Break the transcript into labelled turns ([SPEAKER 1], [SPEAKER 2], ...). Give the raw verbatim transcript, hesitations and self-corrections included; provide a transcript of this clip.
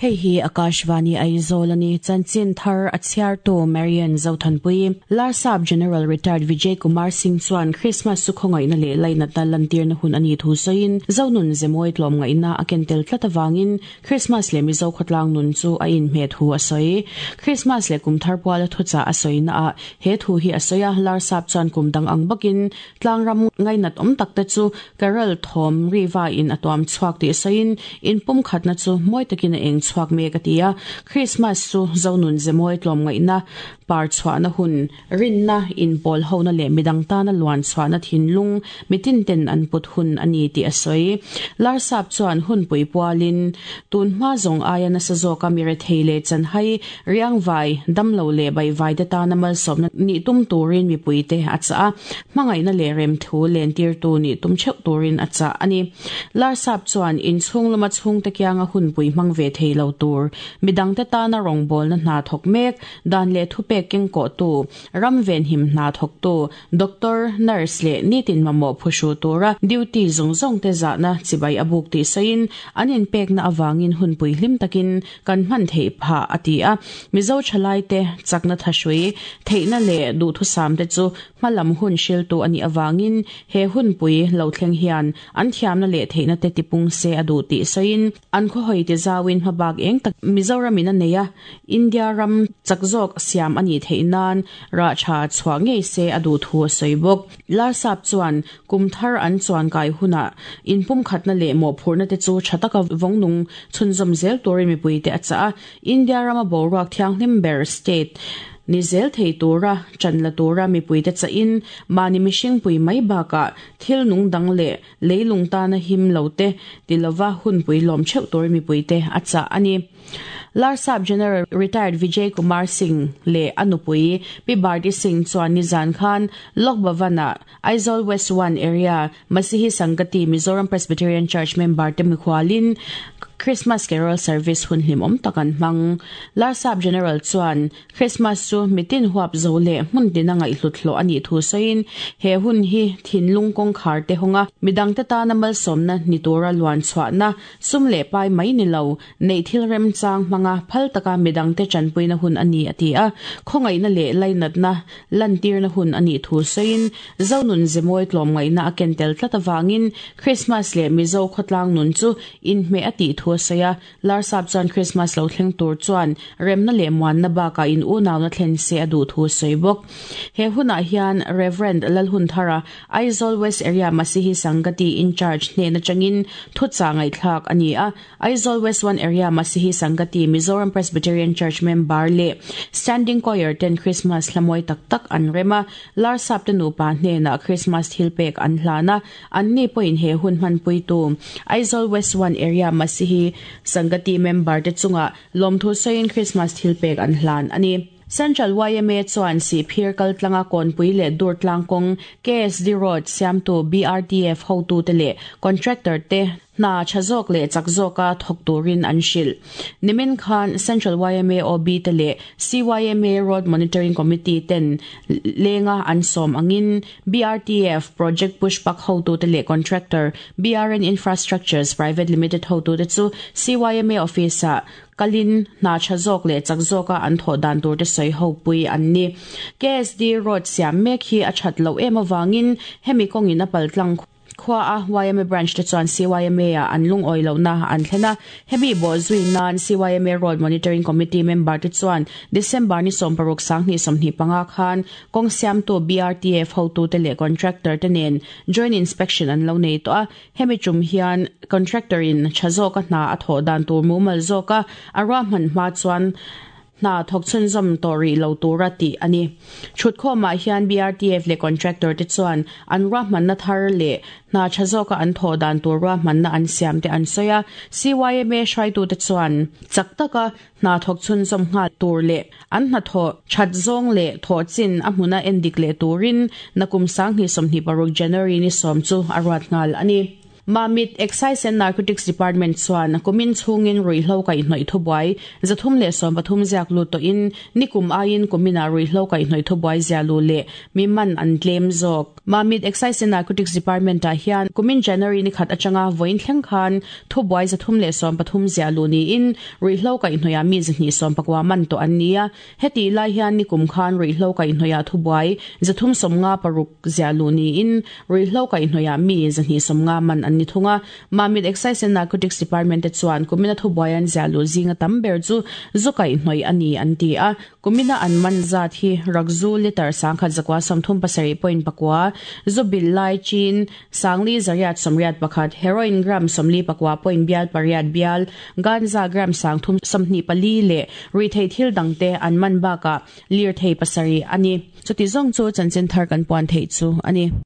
[SPEAKER 1] Hei hi Akashvani Aizawl ani chanchin thar a chhiartu Marian Zothanpui Larsap General Retired Vijay Kumar Singh chuan Christmas chu khawngaihna leh lainatna lantirna hun ani thu sawiin Zonun Zemawi tlawmngaihna a ken tel tlat awangin Christmas leh Mizo khawtlang nun chu a inhmeh thu a sawi Christmas leh kum thar puala thuchah a sawina ah he thu hi a sawi a Larsap chuan kum dang ang bawkin tlangram ngainat awm tak te chu Carol Thawm Riva in a tuam chhuak tih sawiin in pum khatna chu mawi takin a eng chhuak mek a ti a Christmas chu Zonun Zemawi tlawmngaihna par chhuahna hun rinna in pawl hona leh midang tana luan chhuahna thinlung mitin ten an put hun ani tih a sawi Larsap chuan hun pui pualin tun hma zawng aia nasa zawka mi rethei leh chanhai riangvai damlo leh baihvai te tana malsawmna ni tum turin mipui te a chah a hmangaihna leh rem thu len tir tu ni tum theuh turin a chah ani Larsap chuan inchhung lama chhung te kianga hun pui hmang ve thei lo tur midang te tana rawngbawlna hna thawk mek dan leh thupek keng ko tu ram ven him hna thawk tu doctor nurse leh nitin mamawh phushu tura duty zawng zawng te zahna chibai a buk tih sawiin an inpekna awangin hun pui hlim takin kan hman theih phah a ti a Mizo thalai te chakna thahrui theihna leh duhthusam te chu hmalam hun hriltu ani awangin he hun pui lo thleng hian an thiamna leh theihna te tipung se a duh tih sawiin an khawhawi ti zawin hmabak eng tak Mizoram in a nei a India ram chak zawk siam ani theih nan ra tha chhuah ngei se a duh thu a sawi bawk Larsap chuan kum thar an chuan kai huna in pum khatna leh mawh phurna te chu tha taka vawngnung chhunzawm zel turin mipui te a chah a India rama boruak thianghlim ber state ni zel thei tura chanla tura mipui te chahin mani mihring pui mai baka thil nung dang leh leilung tana him lo te tilova hun pui lawm theuh tur mipui te a chah ani Larsap General Retired Vijay Kumar Singh leh anupui Pi Bharti Singh chuan nizan khan Lok Bhavana Aizawl West one Area Masihi Sangati Mizoram Presbyterian Church member te mikhualin Christmas Carol Service hun hlim awm tak an hmang Larsap General chuan Christmas chu mitin huap zo leh hmun tina ngaihhlut hlawh ani thu sawiin he hun hi thinlung kawngkhar te hawnga midang te tana malsawmna ni tura luan chhuahna sum leh pai mai ni lo nei thil rem chang hmanga phal taka midang te chanpuina hun ani a ti a khawngaihna leh lainatna lantirna hun ani thu sawiin Zonun Zemawi tlawmngaihna a ken tel tlat awangin Christmas leh Mizo khawtlang nun chu inhmeh a tih thu a sawi a Larsap chuan Christmas lo thleng tur chuan remna leh muanna bakah in unauna thlen se a duh thu a sawi bawk he hunah hian Reverend Lalhunthara Aizawl West Area Masihi Sangati in charge hnehna changin thuchah ngaihthlak ani a Aizawl West one Area Masihi Sangati Mizoram Presbyterian Church member leh Standing Choir ten Christmas hlamawi tak tak an rema Larsap te nupa hnehna Christmas thil pek an hlana an ni pawhin he hun hmanpui tu Aizawl West one Area Masihi Sangati member te chunga lawmthu sawiin Christmas thil pek an hlan ani Central Y M A chuan si phir kaltlanga kawnpui leh dur tlangkawng K S D Road siamtu B R T F hotu te leh contractor te hna tha zawk leh chak zawka thawk turin an hrilh nimin khan Central Y M A O B te leh C Y M A Road Monitoring Committee ten lenga an sawm angin B R T F Project Pushpak hotu te leh contractor B R N Infrastructures Private Limited hotu te chu C Y M A office ah kalin hna tha zawk leh chak zawka an thawh dan tur te sawi ho pui an ni K S D Road siam mek hi a that lo em awangin hemi kawngin a paltlang khua a Y M A branch te chuan C Y M A a an lung oi lo na an thlena hemi bo zui nan C Y M A Road Monitoring Committee member te chuan December ni sawm paruk sanghnih sawmhnih panga khan kawng siamtu B R T F hotu te leh contractor te nen joint inspection an lo nei tawh a hemi tum hian contractor in tha zawka hna a thawh dan tur mumal zawka a ruahman hma chuan hna thawk chhunzawm tawh rih lo tura tih ani thutkhawmah hian B R T F leh contractor te chuan an ruahmanna thar leh hna tha zawka an thawh dan tur ruahmanna an siam te an sawi a C Y M A hruaitu te chuan chak taka hna thawk chhunzawm nghal tur leh an hna thawh that zawng leh thawh chin a hmuna endik leh turin nakum sanghnih sawmhnih paruk January ni sawm chu a ruat nghal ani Mamit Excise and Narcotics Department chuan kumin chhungin ruihhlo kaihhnawih thubuai zathum leh sawm pathum ziak lut tawhin nikum aiin kumina ruihhlo kaihhnawih thubuai zia lu leh mi man an tlem zawk. Mamit Excise and Narcotics Department ah hian kumin January ni khat atanga vawiin thleng khan thubuai zathum leh sawm pathum zia lu niin ruihhlo kaihhnawih mi zahnih sawm pakua man tawh an ni a. Heti lai hian nikum khan ruihhlo kaihhnawih thubuai zathum sawmnga paruk zia lu niin ruihhlo kaihhnawih mi zahnih sawmnga man an ni thunga. Mamit Excise and Narcotics Department te chuan kumina thubuai an zia lu zinga tam ber chu zu kaihhnawih ani an ti a. Kumina an man zat hi rakzu liter sangkhat zakwa sawmthum pasarih point pakua zu bil lai chin sangli zariat sawmriat pakhat heroin gram sawmli pakua point bial pariat bial ganja gram sangthum sawmhnih pali leh ruithei thil dangte an man baka lir thei pasarih ani. Chuti zawng chu chanchin thar kan puan thei chu ani.